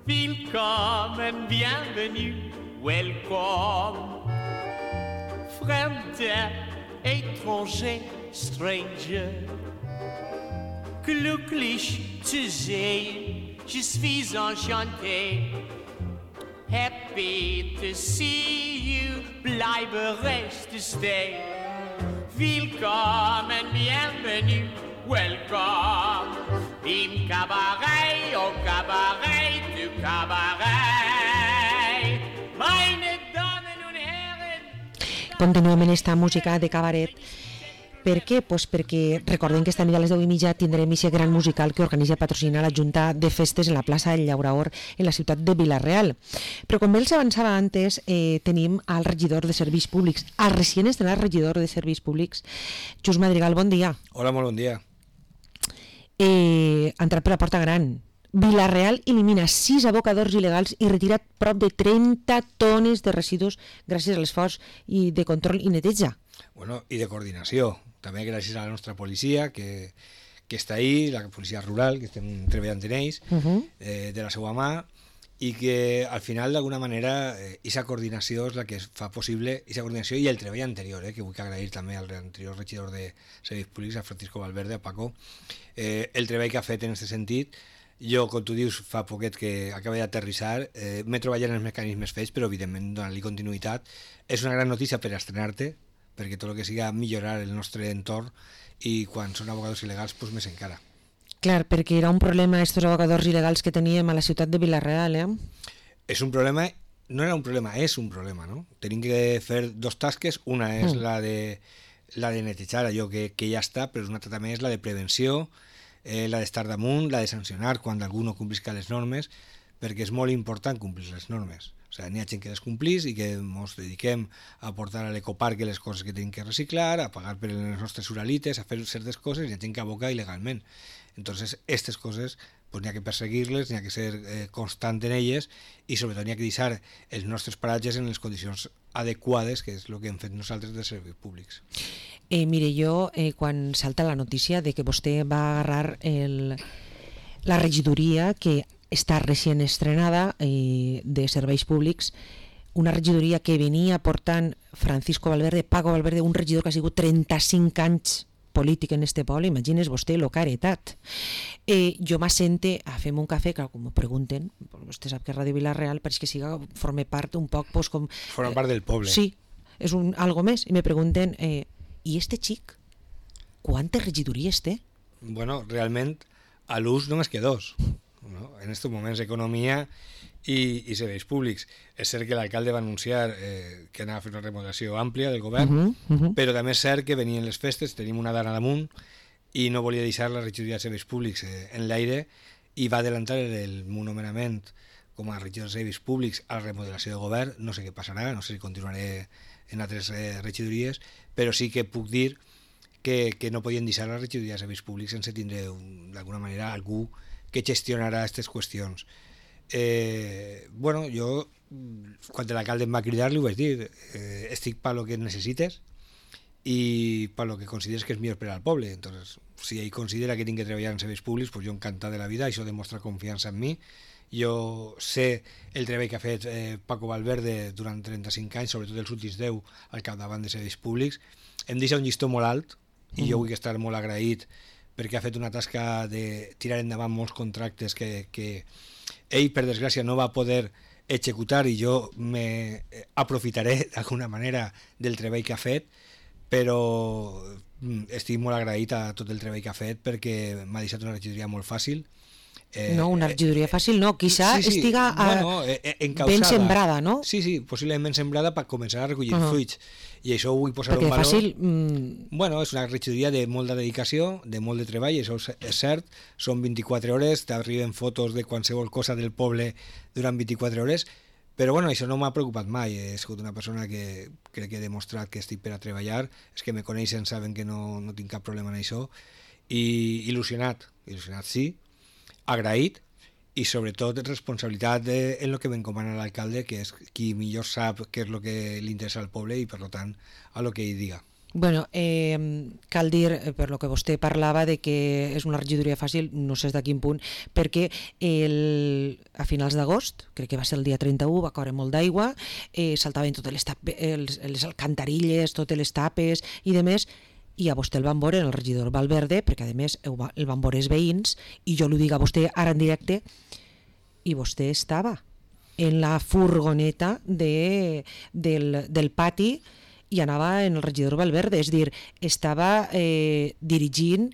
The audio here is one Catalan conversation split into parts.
Willkommen, bienvenue, welcome. Fremder, étranger, stranger. Glücklich zu sehen, je suis enchanté. Happy to see you, bleibe, reste, stay. Willkommen, bienvenue, welcome. Im Cabaret, au Cabaret, du Cabaret. Meine Damen und Herren. Continuem en esta música de cabaret. Per què? Pues perquè recordem que esta nit a les 10:30 tindrem aquest gran musical que organitza i patrocina la Junta de Festes en la plaça del Llauraor en la ciutat de Vila-real. Però com els avançava antes, tenim al regidor de Serveis Públics, al recient estrenat regidor de Serveis Públics, Just Madrigal, bon dia. Hola, molt bon dia. Entrat per la porta gran. Vila-real elimina 6 abocadors il·legals i retira prop de 30 tones de residus gràcies a l'esforç de control i neteja. Bueno, i de coordinació. També gràcies a la nostra policia, que està ahí, la policia rural, que estem treballant en ells, de la seva mà, i que al final, d'alguna manera, aquesta coordinació és la que fa possible, aquesta coordinació i el treball anterior, que vull agrair també al anterior regidor de Serveis Públics, a Francisco Valverde, a Paco, el treball que ha fet en aquest sentit. Jo, com tu dius, fa poquet que acaba d'aterrissar, m'he treballat en els mecanismes fets, però evidentment donant-li continuïtat. És una gran notícia per estrenar-te, perquè tot el que siga millorar el nostre entorn, i quan són abocadors il·legals, doncs més encara. Clar, perquè era un problema estos abocadors il·legals que teníem a la ciutat de Vila-real, És un problema, no era un problema, és un problema, no? Tenim que fer dos tasques, una és la de netejar allò que ja està, però una altra també és la de prevenció, la d'estar damunt, la de sancionar quan algú no complisca les normes, perquè és molt important complir les normes. O sigui, n'hi ha gent que les complís i que ens dediquem a portar a l'ecoparc les coses que tenim que reciclar, a pagar per les nostres uralites, a fer certes coses, i hi ha gent que aboca il·legalment. Entonces, aquestes coses, pues, n'hi ha que perseguir-les, n'hi ha que ser constant en elles, i sobretot n'hi ha que deixar els nostres paratges en les condicions adequades, que és el que hem fet nosaltres de serveis públics. Mire, jo, quan salta la notícia de que vostè va agarrar la regidoria que està recient estrenada de Serveis Públics, una regidoria que venia portant Francisco Valverde, Paco Valverde, un regidor que ha sigut 35 anys polític en este poble, imagines vostè el que ha heretat. Jo m'assente a fer un cafè, que com m'ho pregunten, vostè sap que Ràdio Vila-real pareix que forma part un poc com... Forma part del poble. Sí, és algo més, i me pregunten, i este xic, quantes regidories té? Bueno, realment, a l'ús només que dos. No? En aquests moments, economia i serveis públics. És cert que l'alcalde va anunciar que anava a fer una remodelació àmplia del govern, però també és cert que venien les festes, tenim una dana damunt, i no volia deixar la regidoria de serveis públics en l'aire, i va adelantar el meu nomenament com a regidor de serveis públics a la remodelació del govern. No sé què passarà, no sé si continuaré en altres regidories, però sí que puc dir que no podien deixar la regidoria de serveis públics sense tindre d'alguna manera algú que gestionarà aquestes qüestions. Bueno, jo, quan l'alcalde em va cridar, li ho vaig dir, estic per lo que necessites i per lo que consideres que és millor per al poble. Entonces, si ell considera que tinc que treballar en serveis públics, pues jo encantat de la vida, això demostra confiança en mi. Jo sé el treball que ha fet Paco Valverde durant 35 anys, sobretot els últims 10 al capdavant de serveis públics. Em deixa un llistó molt alt i jo vull estar molt agraït perquè ha fet una tasca de tirar endavant molts contractes que ell, per desgràcia, no va poder executar, i jo m'aprofitaré d'alguna manera del treball que ha fet, però estic molt agraït a tot el treball que ha fet perquè m'ha deixat una regidoria molt fàcil. No, una regidoria fàcil no, quizá estiga ben sembrada, no? Sí, possiblement ben sembrada per començar a recollir fruits, i això ho vull posar en valor. Perquè fàcil... Bueno, és una regidoria de molta dedicació, de molt de treball, això és cert, són 24 hores, t'arriben fotos de qualsevol cosa del poble durant 24 hores, però bueno, això no m'ha preocupat mai. He sigut una persona que crec que he demostrat que estic per a treballar, és que me coneixen, saben que no tinc cap problema en això, i il·lusionat sí, agraït, i sobretot responsabilitat en el que m'encomana l'alcalde, que és qui millor sap què és el que li interessa al poble i per tant a lo que ell diga. Bueno, cal dir, per lo que vostè parlava, de que és una regidoria fàcil, no sé de quin punt, perquè a finals d'agost, crec que va ser el dia 31, va caure molt d'aigua, saltaven totes les alcantarilles, totes les tapes i demés, i a vostè el van veure, el regidor Valverde, perquè a més el van veure els veïns, i jo li dic a vostè ara en directe, i vostè estava en la furgoneta del pati i anava en el regidor Valverde, és dir, estava dirigint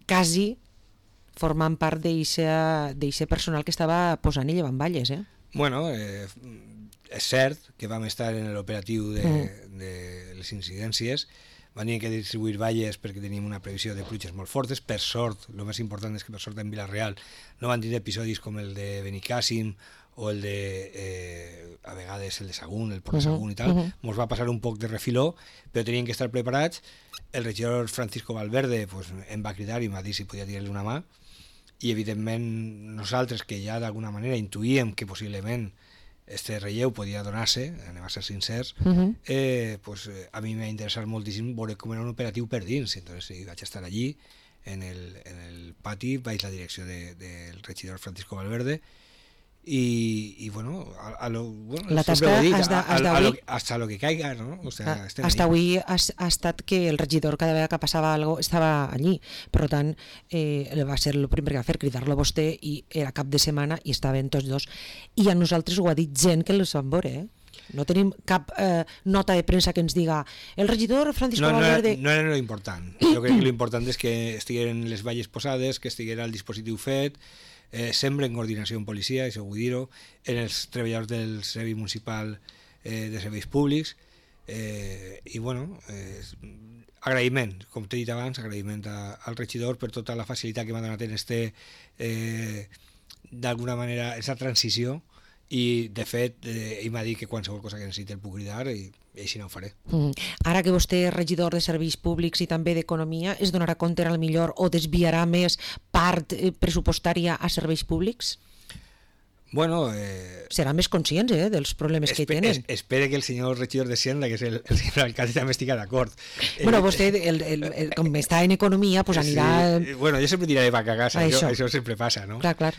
quasi formant part d'eixe personal que estava posant i llevant valles. Bueno, és cert que vam estar en l'operatiu de les incidències, van tenir que distribuir valles perquè teníem una previsió de pluges molt fortes. Per sort, el més important és que per sort en Vila-real no van tenir episodis com el de Benicàssim o el de, a vegades, el de Sagunt, el Port de Sagunt i tal. Ens va passar un poc de refiló, però teníem que estar preparats. El regidor Francisco Valverde pues, em va cridar i em va dir si podia tirar-li una mà, i evidentment nosaltres, que ja d'alguna manera intuïem que possiblement este relleu podia donar-se, anem a ser sincers, pues, a mi m'ha interessat moltíssim veure com era un operatiu per dins. Entonces vaig estar allí en el pati, vaig la direcció del regidor Francisco Valverde, y bueno, la tasca hasta lo que caiga, ¿no? O sea, hasta avui ha estat que el regidor cada vegada que passava algo estava allí, per tant va ser el primer que va fer, cridar-lo a vostè, i era cap de setmana i estaven tots dos, i a nosaltres ho ha dit gent que els van veure, no tenim cap nota de premsa que ens diga el regidor Francisco Valverde. No era lo important. Jo crec que lo important és que estigueren les valles posades, que estiguera el dispositiu fet, sempre en coordinació amb policia, això vull dir-ho, en els treballadors del Servei Municipal de Serveis Públics, i bueno, agraïment, com t'he dit abans, agraïment al regidor per tota la facilitat que m'ha donat en d'alguna manera, aquesta transició, i de fet ell m'ha dit que qualsevol cosa que necessiti el puc cridar, i així no ho faré. Ara que vostè és regidor de Serveis Públics i també d'Economia, es donarà compte al millor o desviarà més part pressupostària a serveis públics? Bueno, seran més conscients dels problemes que tenen. Espere que el senyor regidor de Hacienda, que és el senyor alcalde, també estigui d'acord. Bueno, vostè, com està en Economia, pues anirà... Sí. Bueno, jo sempre diré vaca a casa, això sempre passa, no? Clar.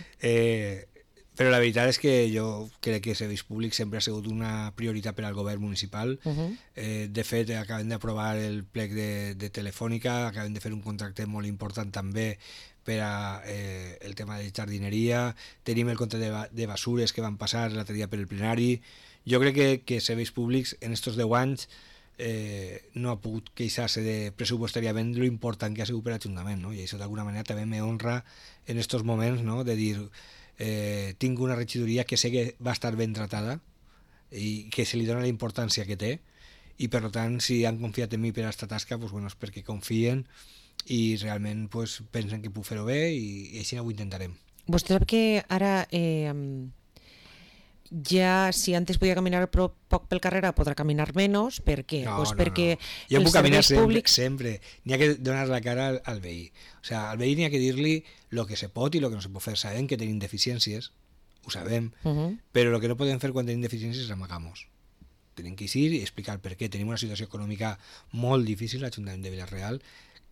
Però la veritat és que jo crec que serveis públics sempre ha sigut una prioritat per al govern municipal. De fet, acabem d'aprovar el plec de Telefònica, acabem de fer un contracte molt important també per al tema de jardineria, tenim el compte de basures que van passar l'altre dia per el plenari. Jo crec que serveis públics en estos 10 anys no ha pogut queixar-se pressupostàriament de lo important que ha sigut per l'Ajuntament, no? I això d'alguna manera també me honra en estos moments, no? De dir... tinc una regidoria que sé que va estar ben tratada i que se li dona la importància que té, i per tant si han confiat en mi per a aquesta tasca, pues, bueno, és perquè confien i realment pues, pensen que puc fer-ho bé, i així ho intentarem. Vostè sap que ara ja, si antes podia caminar poc pel carrer, podrà caminar menys. Per què? Perquè jo puc caminar sempre. N'hi ha que donar la cara al veí. O sigui, al veí n'hi ha que dir-li el que se pot i el que no se pot fer. Sabem que tenim deficiències, ho sabem, però el que no podem fer quan tenim deficiències és amagar-nos. Tenim que ir i explicar per què. Tenim una situació econòmica molt difícil a l'Ajuntament de Vila-real.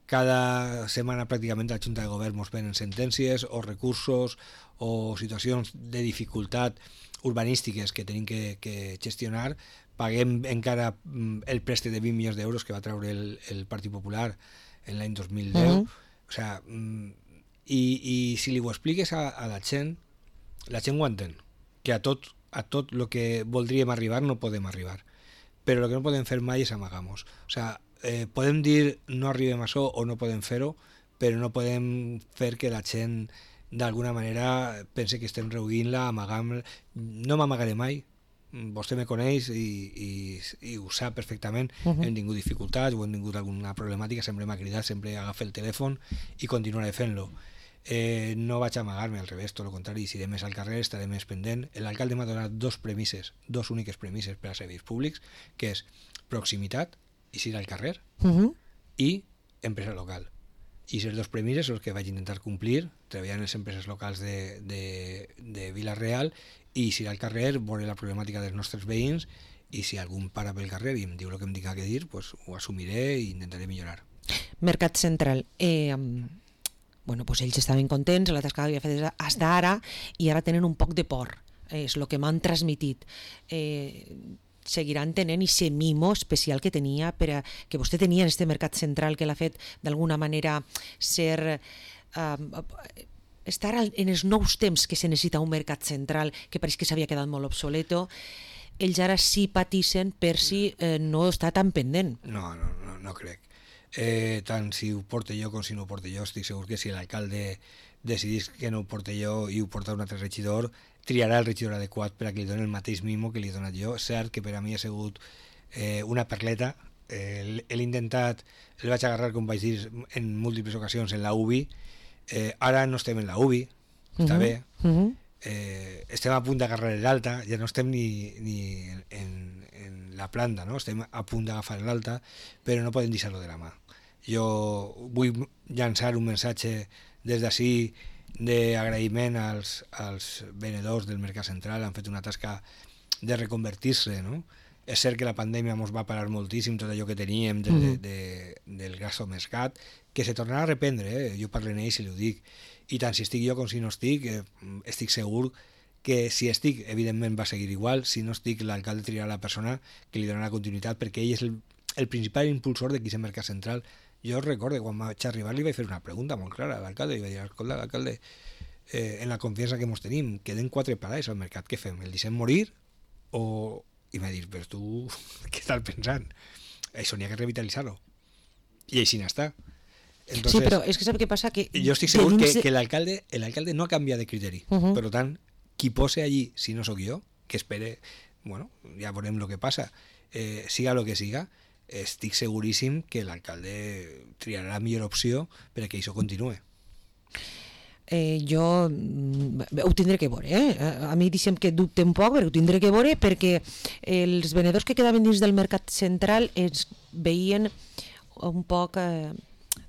Cada setmana pràcticament la Junta de Govern ens venen sentències o recursos o situacions de dificultat urbanístiques que tenim que gestionar. Paguem encara el préstec de 20 milions d'euros que va treure el Partit Popular en l'any 2010. O sigui, i si li ho expliques a la gent ho entén, que a tot el que voldríem arribar no podem arribar, però el que no podem fer mai és amagar-nos. O sigui, podem dir no arribem a això o no podem fer-ho, però no podem fer que la gent d'alguna manera pense que estem reduint-la, amagant-la. No m'amagaré mai, vostè me coneix i ho sap perfectament. Hem tingut dificultats o hem tingut alguna problemàtica, sempre m'ha cridat, sempre agafa el telèfon i continuaré fent-lo. No vaig amagar-me, al revés, tot el contrari, si iré més al carrer estaré més pendent. L'alcalde m'ha donat dos úniques premisses per a serveis públics, que és proximitat, i ir al carrer, i empresa local. I aquestes dos premisses són les que vaig intentar complir, treballant en les empreses locals de Vila-real, i ir al carrer, veure la problemàtica dels nostres veïns i si algun para pel carrer i em diu el que em diga que dir, pues, ho assumiré i intentaré millorar. Mercat Central, bueno, pues ells estaven contents, la tasca que havia fet fins ara, i ara tenen un poc de por, és el que m'han transmitit. Seguiran tenint aquest mimo especial que tenia, que vostè tenia en aquest Mercat Central, que l'ha fet d'alguna manera ser... estar en els nous temps que se necessita un mercat central, que pareix que s'havia quedat molt obsoleto. Ells ara sí patissen per si no està tan pendent. No crec. Tant si ho porto jo com si no ho porto jo, estic segur que si l'alcalde decidís que no ho porto jo i ho porta un altre regidor, triarà el regidor adequat per a que li doni el mateix mimo que li he donat jo. És cert que per a mi ha sigut una perleta. L'he intentat, el vaig agarrar, com vaig dir, en múltiples ocasions en la UBI. Ara no estem en la UBI, està bé. Estem a punt d'agarrar l'alta, ja no estem ni en la planta, no? Estem a punt d'agafar l'alta, però no podem deixar-lo de la mà. Jo vull llançar un missatge des d'ací d'agraïment als venedors del Mercat Central. Han fet una tasca de reconvertir-se, no? És cert que la pandèmia ens va parar moltíssim tot allò que teníem del gasto mercat, que se tornarà a reprendre, jo parlo en ells i ho dic, i tant si estic jo com si no estic, estic segur que si estic, evidentment va seguir igual, si no estic, l'alcalde triarà la persona que li donarà continuïtat, perquè ell és el principal impulsor de aquest Mercat Central. Jo recordo, quan vaig arribar li vaig fer una pregunta molt clara a l'alcalde, i vaig dir, escolta, l'alcalde, en la confiança que ens tenim, queden 4 parades al mercat, què fem? El deixem morir? I m'ha dit, però tu què estàs pensant? Això n'hi ha que revitalitzar-ho. I així n'està. Entonces, sí, però és que sap què passa? Que jo estic segur que l'alcalde no ha canviat de criteri. Per tant, qui posa allí, si no sóc jo, que espere, bueno, ja veurem el que passa, siga el que siga, estic seguríssim que l'alcalde triarà la millor opció perquè això continuï. Jo ho tindré que veure, a mi deixem que dubte un poc, però ho tindré que veure, perquè els venedors que quedaven dins del Mercat Central es veien un poc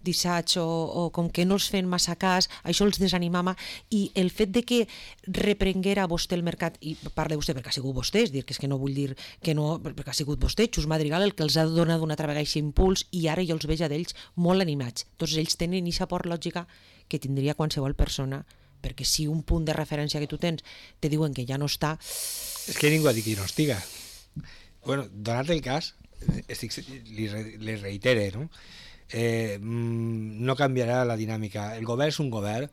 dissats o com que no els feien massa cas, això els desanimava, i el fet de que reprenguera vostè el mercat, i parla vostè perquè ha sigut vostè, és dir, que és que no vull dir que no, perquè ha sigut vostè, Xus Madrigal, el que els ha donat una altra vegada aquest impuls, i ara jo els veig a d'ells molt animats. Tots ells tenen aquesta por lògica que tindria qualsevol persona, perquè si un punt de referència que tu tens te diuen que ja no està... És que ningú ha dit que no estiga. Bueno, donat el cas, li reitere, no? No canviarà la dinàmica. El govern és un govern.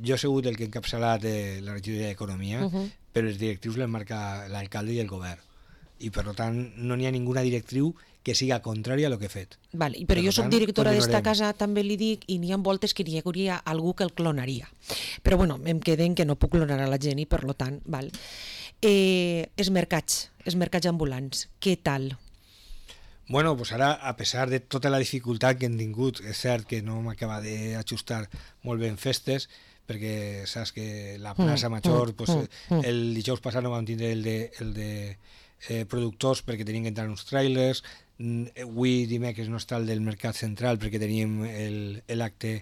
Jo he sigut el que ha encapçalat la regidoria d'Economia, però els directius les marca l'alcalde i el govern. I per tant no n'hi ha ninguna directriu que siga contrària a lo que he fet. Vale, però jo soc directora d'esta casa, també li dic, i n'hi ha voltes que n'hi hauria algú que el clonaria. Però bueno, em queden que no puc clonar a la gent i per tant, val. Els mercats ambulants, què tal? Bueno, pues ara, a pesar de tota la dificultat que hem tingut, és cert que no m'acaba d'ajustar molt ben festes, perquè saps que la plaça Major, pues, el dijous passat no vam tindre el de productors perquè tenien que entrar uns trailers, avui dimecres no està el del Mercat Central perquè teníem l'acte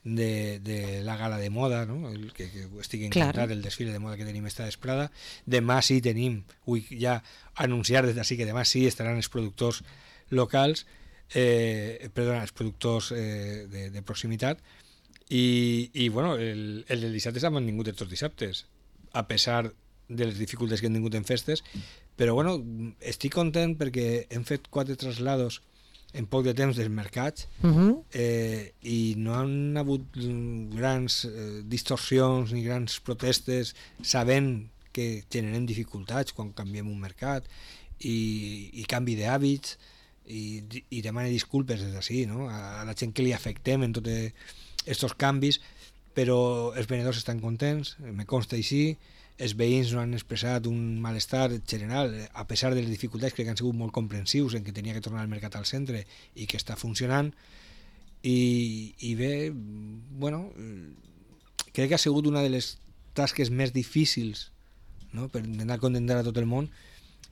de la gala de moda, no? que estic encantat, el desfile de moda que tenim esta vesprada. Demà sí tenim, vull ja anunciar des d'ací que demà sí estaran els productors locals, els productors de proximitat, i bueno, el del dissabte s'ha mantingut tots els dissabtes, a pesar de les dificultats que hem tingut en festes, però bueno, estic content perquè hem fet 4 traslados en poc de temps dels mercats, i no han hagut grans distorsions ni grans protestes, sabent que generem dificultats quan canviem un mercat i canvi d'hàbits, i demane disculpes des d'ací, no? A la gent que li afectem en tots aquests canvis, però els venedors estan contents, me consta així, els veïns no han expressat un malestar general, a pesar de les dificultats, crec que han sigut molt comprensius en que tenia que tornar el mercat al centre i que està funcionant, i bé, bueno, crec que ha sigut una de les tasques més difícils, no? Per intentar contentar a tot el món,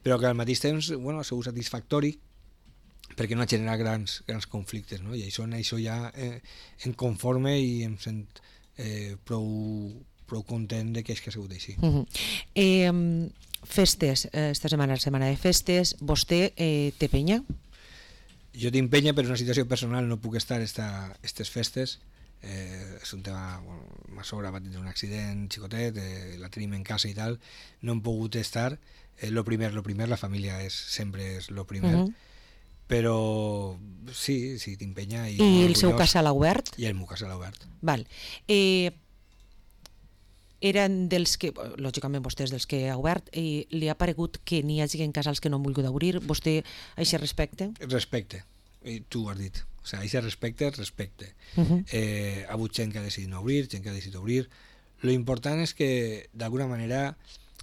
però que al mateix temps, bueno, ha sigut satisfactori perquè no ha generat grans conflictes, no? I això ja em conforme i em sent prou content de que ha sigut així. Festes, esta setmana de festes, vostè té penya? Jo tinc penya, però és una situació personal, no puc estar aquestes festes. És un tema, bueno, ma sogra va tenir un accident xicotet, la tenim en casa i tal, no hem pogut estar. Lo primer, la família sempre és lo primer. Però sí, tinc penya. I el seu casal ha obert? I el meu casal ha obert. Val. Eren dels que, lògicament vostè és dels que ha obert, i li ha paregut que n'hi hagi en casals que no han volgut obrir? Vostè a aquest respecte? Respecte, i tu ho has dit. O sigui, aquest respecte. Ha hagut gent que ha decidit no obrir, gent que ha decidit obrir. Lo important és que, d'alguna manera,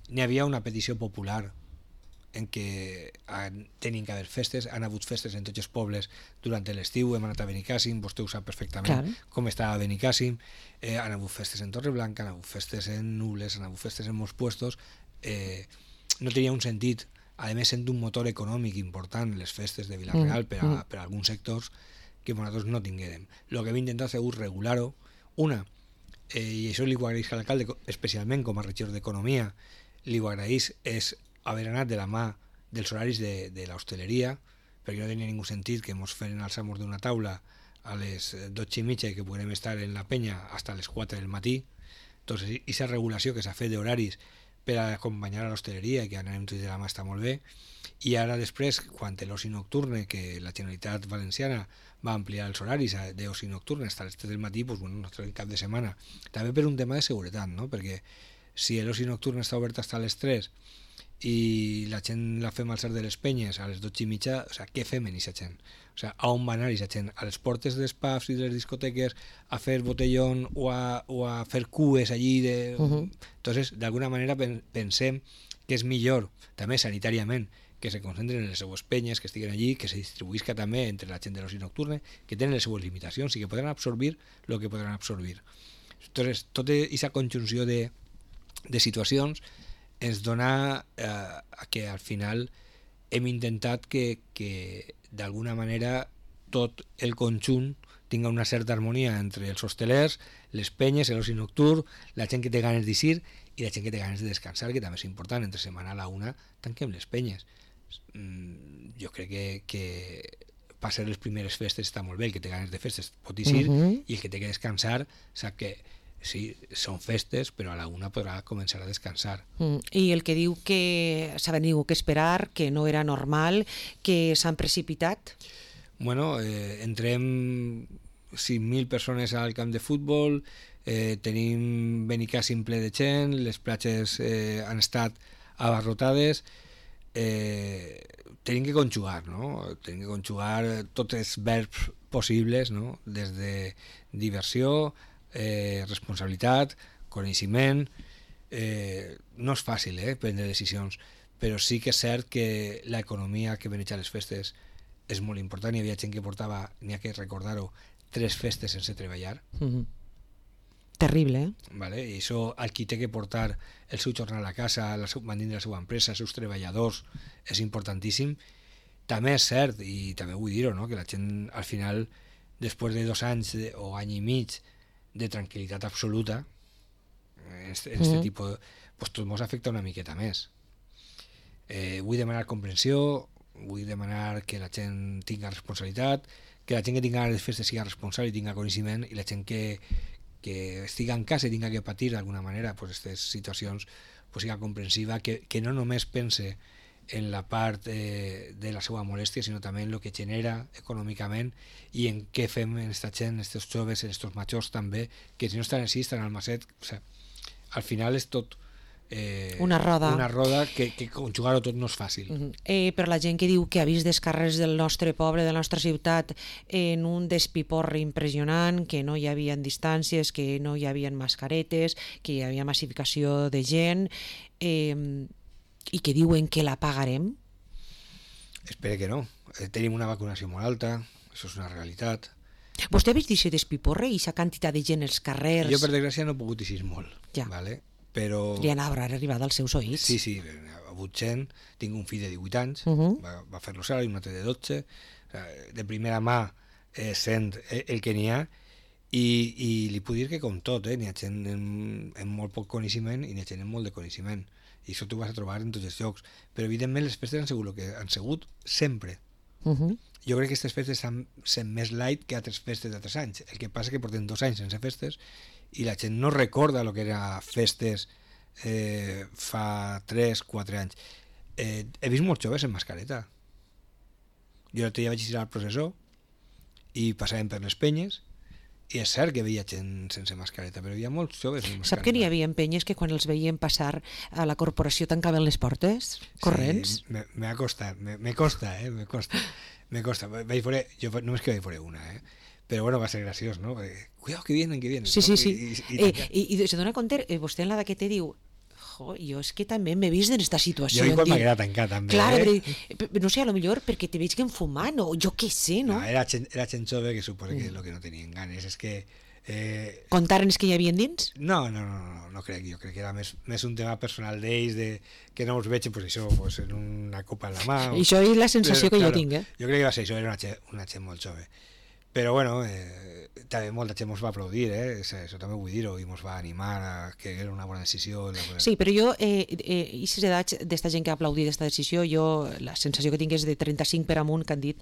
n'hi havia una petició popular en què tenien que haver festes, han hagut festes en tots els pobles durant l'estiu, hem anat a Benicàssim, vostè ho sap perfectament com estava Benicàssim, han hagut festes en Torreblanca, han hagut festes en Nules, han hagut festes en molts puestos, no tenia un sentit, a més sent un motor econòmic important les festes de Vila-real per a alguns sectors que nosaltres no tinguérem. El que hem intentat ha sigut regular-ho, i això li ho agraeix a l'alcalde, especialment com a regidor d'Economia, li ho agraeix, és haver anat de la mà dels horaris de l'hostaleria, perquè no tenia ningú sentit que ens feren alçar-nos d'una taula a les 12:30 que podrem estar en la penya fins a les 4 del matí. Entonces, aquesta regulació que s'ha fet d'horaris per a acompanyar a l'hostaleria i que anem tots de la mà està molt bé. I ara després, quan l'oci nocturne, que la Generalitat Valenciana va ampliar els horaris d'oci nocturne fins a les 3 del matí, doncs, bueno, nostre cap de setmana. També per un tema de seguretat, no? Perquè si l'oci nocturne està obert fins a les 3 i la gent la fem alçar de les penyes a les 12:30, o sigui, què fem en aquesta gent? O sigui, a on va anar aquesta gent? A les portes dels pubs i de les discoteques a fer botellón o a fer cues allí? Entonces, d'alguna manera pensem que és millor, també sanitàriament, que se concentren en les seues penyes, que estiguen allí, que se distribuïsca també entre la gent de l'oci nocturne, que tenen les seues limitacions i que podran absorbir el que podran absorbir. Entonces, tota aquesta conjunció de situacions ens dona que al final hem intentat que d'alguna manera tot el conjunt tinga una certa harmonia entre els hostelers, les penyes, l'oci nocturn, la gent que té ganes d'eixir i la gent que té ganes de descansar, que també és important. Entre setmana a la una tanquem les penyes. Jo crec que per ser les primeres festes està molt bé, el que té ganes de festes pot eixir i el que té que descansar sap que sí, són festes, però a la una podrà començar a descansar. I el que diu que s'ha tingut que esperar, que no era normal, que s'han precipitat? Bueno, entrem 5.000 persones al camp de futbol, tenim Benicàssim ple de gent, les platges han estat abarrotades, tenim que conjugar, no? Tenim que conjugar tots els verbs possibles, no? Des de diversió, responsabilitat, coneixement. No és fàcil prendre decisions, però sí que és cert que l'economia que veneix a les festes és molt important. Hi havia gent que portava, n'hi ha que recordar-ho, 3 festes sense treballar. Terrible, Vale? I això, el qui té que portar el seu jornal a casa, mantenir la seva empresa, els seus treballadors, és importantíssim. També és cert, i també vull dir-ho, no? Que la gent al final, després de 2 anys o any i mig de tranquil·litat absoluta, en aquest tipus, pues tot ens afecta una miqueta més. Vull demanar comprensió, vull demanar que la gent tinga responsabilitat, que la gent que tinga les festes sigui responsable i tinga coneixement, i la gent que estiga en casa i tinga que patir d'alguna manera aquestes situacions, siga comprensiva, que no només pense en la part de la seva molèstia, sinó també en el que genera econòmicament i en què fem en aquesta gent, en aquests joves, en aquests majors també, que si no estan així, estan al macet. O sigui, al final és tot una roda que conjugar-ho tot no és fàcil. Però la gent que diu que ha vist les carrers del nostre poble, de la nostra ciutat, en un despiporre impressionant, que no hi havia distàncies, que no hi havia mascaretes, que hi havia massificació de gent, i que diuen que la pagarem? Espero que no. Tenim una vacunació molt alta, això és una realitat. Vostè ha vist aquest despiporre i aquesta quantitat de gent als carrers? Jo, per desgràcia, no he pogut eixir molt. Ja. Vale? Però... Li han arribat als seus oïts. Sí, ha hagut gent. Tinc un fill de 18 anys, va fer l'ocel, i un altre de 12. De primera mà sent el que n'hi ha, i li puc dir que com tot, n'hi ha gent amb molt poc coneixement i n'hi ha gent amb molt de coneixement. i això t'ho vas a trobar en tots els llocs, però evidentment les festes han sigut el que han sigut sempre. Jo crec que aquestes festes han sent més light que altres festes d'altres anys. El que passa és que portem 2 anys sense festes i la gent no recorda el que era festes fa 3-4 anys. He vist molts joves en mascareta. Jo l'altre dia vaig ir al processó i passàvem per les penyes i és cert que veia gent sense mascareta, però hi havia molts joves amb mascareta. Sap que n'hi havia penyes que quan els veien passar a la corporació tancaven les portes corrents? Sí, m'ha costat, me costa. Vaig veure, jo només que vaig veure una, però bueno, va ser graciós, no? Cuidado, que vienen. Sí, no? sí, sí. I se dona compte, vostè en la que te diu, jo és que també m'he vist en aquesta situació. Jo quan m'agrada tancar també. Clar, no sé, a lo millor perquè te veig que fumant o jo què sé, no? Era gent jove que suposa que el que no tenien ganes és que... Contaren els que hi havia dins? No crec, jo crec que era més un tema personal d'ells, que no els veig pues això, pues en una copa en la mà. I això és la sensació que jo tinc, Jo crec que va ser això, era una gent molt jove. Però bueno, també molta gent ens va aplaudir, això també vull dir-ho, i ens va animar a que era una bona decisió. Sí, però jo, i les edats d'esta gent que ha aplaudit aquesta decisió, jo la sensació que tinc és de 35 per amunt que han dit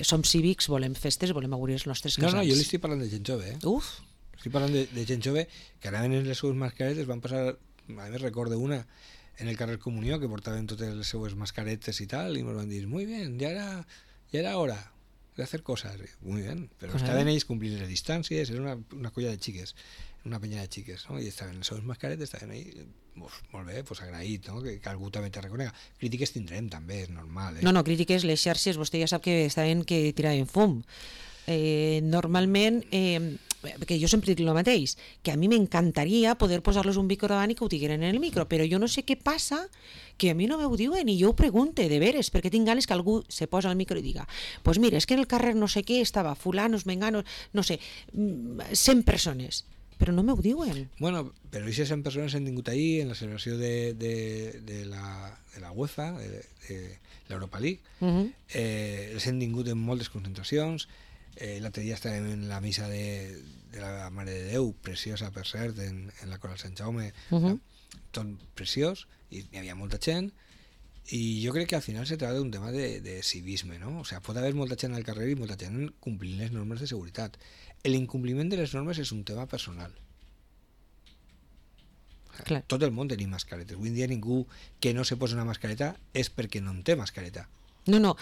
som cívics, volem festes, volem augurir els nostres casals. No, jo li estic parlant de gent jove, Uf! Estic parlant de gent jove que anaven en les seues mascaretes, van passar, a més recordo una, en el carrer Comunió, que portaven totes les seues mascaretes i tal, i ens van dir, muy bien, ya era hora de hacer cosas, muy bien, pero estaven ells complint les distàncies, era una colla de xiques, una penya de xiques, no? I estaven en les seves mascaretes, estaven ahí, molt bé, pues agraït, no? Que algú també te reconega. Crítiques tindrem també, és normal. No, crítiques, les xarxes, vostè ja sap que estaven que tiraven fum. Normalment, que jo sempre dic el mateix, que a mi m'encantaria poder posar-los un micro davant i que ho digueren en el micro, però jo no sé què passa, que a mi no m'ho diuen i jo ho pregunte, de veres, perquè tinc ganes que algú se posa al micro i diga, pues mira, és que en el carrer no sé què estava fulanos, menganos, no sé, 100 persones, però no m'ho diuen. Bueno, però aquestes 100 persones han tingut ahir en la celebració de la UEFA, de l'Europa League, els han tingut en moltes concentracions. L'altre dia estàvem en la missa de la Mare de Déu, preciosa per cert, en la Coral Sant Jaume, tot preciós, i hi havia molta gent, i jo crec que al final se trata d'un tema de civisme, no? O sea, pot haver molta gent al carrer i molta gent complint les normes de seguretat. L'incompliment de les normes és un tema personal. Clar. Tot el món tenim mascaretes. Avui en dia ningú que no se posa una mascareta és perquè no en té mascareta. No,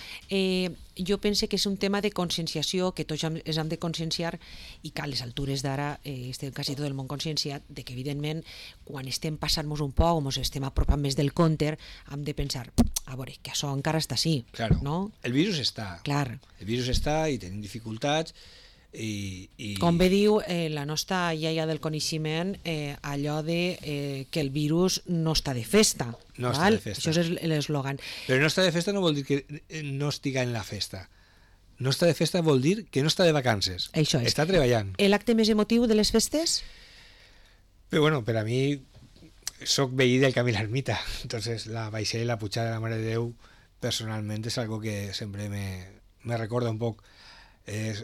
jo pense que és un tema de conscienciació, que tots ens hem de conscienciar i que a les altures d'ara estem quasi tot el món conscienciat de que evidentment quan estem passant-nos un poc o ens estem apropant més del compte hem de pensar, a veure, que això encara està així, claro. No? El virus està. Clar. El virus està i tenim dificultats i... Com bé diu la nostra iaia del coneixement, allò de que el virus no està de festa. No està de festa. Això és l'eslògan. Però no està de festa no vol dir que no estiga en la festa. No està de festa vol dir que no està de vacances. Això és. Està treballant. L'acte més emotiu de les festes? Però bueno, per a mi soc veí del Camí l'Ermita. Entonces la baixada i la pujada de la Mare de Déu personalment és algo que sempre me recorda un poc. És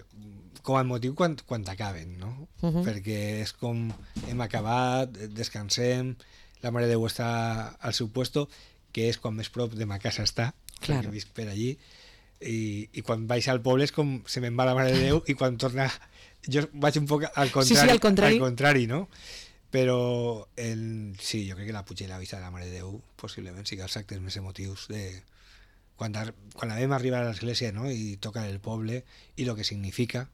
com a motiu quan acaben, no? Perquè és com hem acabat, descansem, la Mare de Déu està al seu puesto, que és quan més prop de ma casa està, perquè visc per allí, i quan vaig al poble és com se me'n va la Mare de Déu i quan torna jo vaig un poc al contrari, al contrari, no? Però sí, jo crec que la puja i la vista de la Mare de Déu possiblement sigui els actes més emotius de quan vam arribar a l'església, no? I toca el poble i el que significa,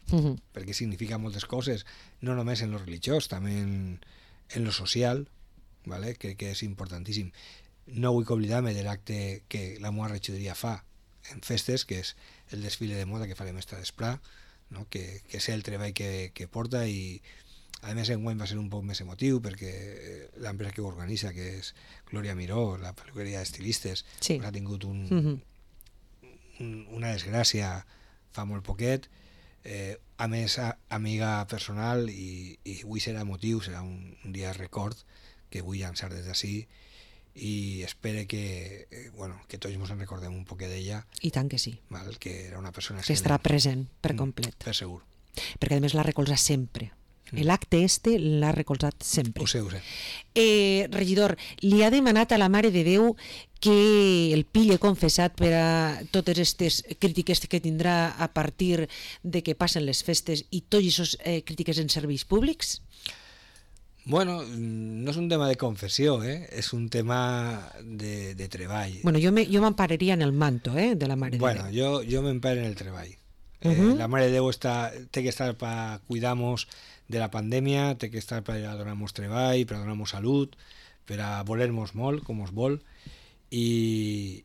perquè significa moltes coses, no només en lo religiós, també en lo social, ¿vale? Crec que és importantíssim. No vull oblidar-me de l'acte que la meva regidoria fa en festes, que és el desfile de moda que farem esta vesprà, no? Que sé el treball que porta i a més enguany va ser un poc més emotiu perquè l'empresa que ho organitza, que és Glòria Miró, la peluqueria d'estilistes, sí. Ha tingut una desgràcia fa molt poquet, a més amiga personal i avui serà emotiu, serà un dia de record que vull llançar des d'ací i espero que tots ens en recordem un poquet d'ella. I tant que sí. Val? Que era una persona que estarà present per complet. Per segur. Perquè a més la recolza sempre. L'acte este l'ha recolzat sempre. Ho sé. Regidor, li ha demanat a la Mare de Déu que el pille confessat per a totes aquestes crítiques que tindrà a partir de que passen les festes i tots aquestes crítiques en serveis públics? Bueno, no és un tema de confessió, és un tema de treball. Bueno, jo m'empararia en el manto de la Mare de Bueno, Déu. jo m'emparo en el treball. La Mare de Déu té que estar per cuidar-nos de la pandèmia, té que estar per a donar-nos treball, per a donar-nos salut, per a voler-nos molt, com us vol, i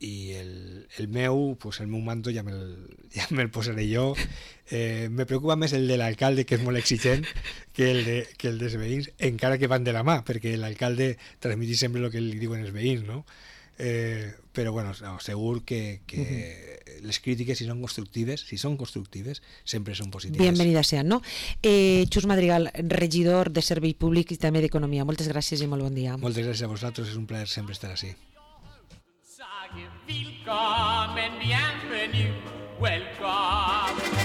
el meu manto ja me'l posaré jo. Me preocupa més el de l'alcalde, que és molt exigent, que el dels veïns, encara que van de la mà, perquè l'alcalde transmetís sempre el que li diuen els veïns, no? Però bueno, segur que les crítiques, si són constructives, sempre són positives. Bienvenidas sean, ¿no? Xus Madrigal, regidor de Servei Públic i també d'Economia. Moltes gràcies i molt bon dia. Moltes gràcies a vosaltres, és un plaer sempre estar així. Willkommen, bienvenue, welcome.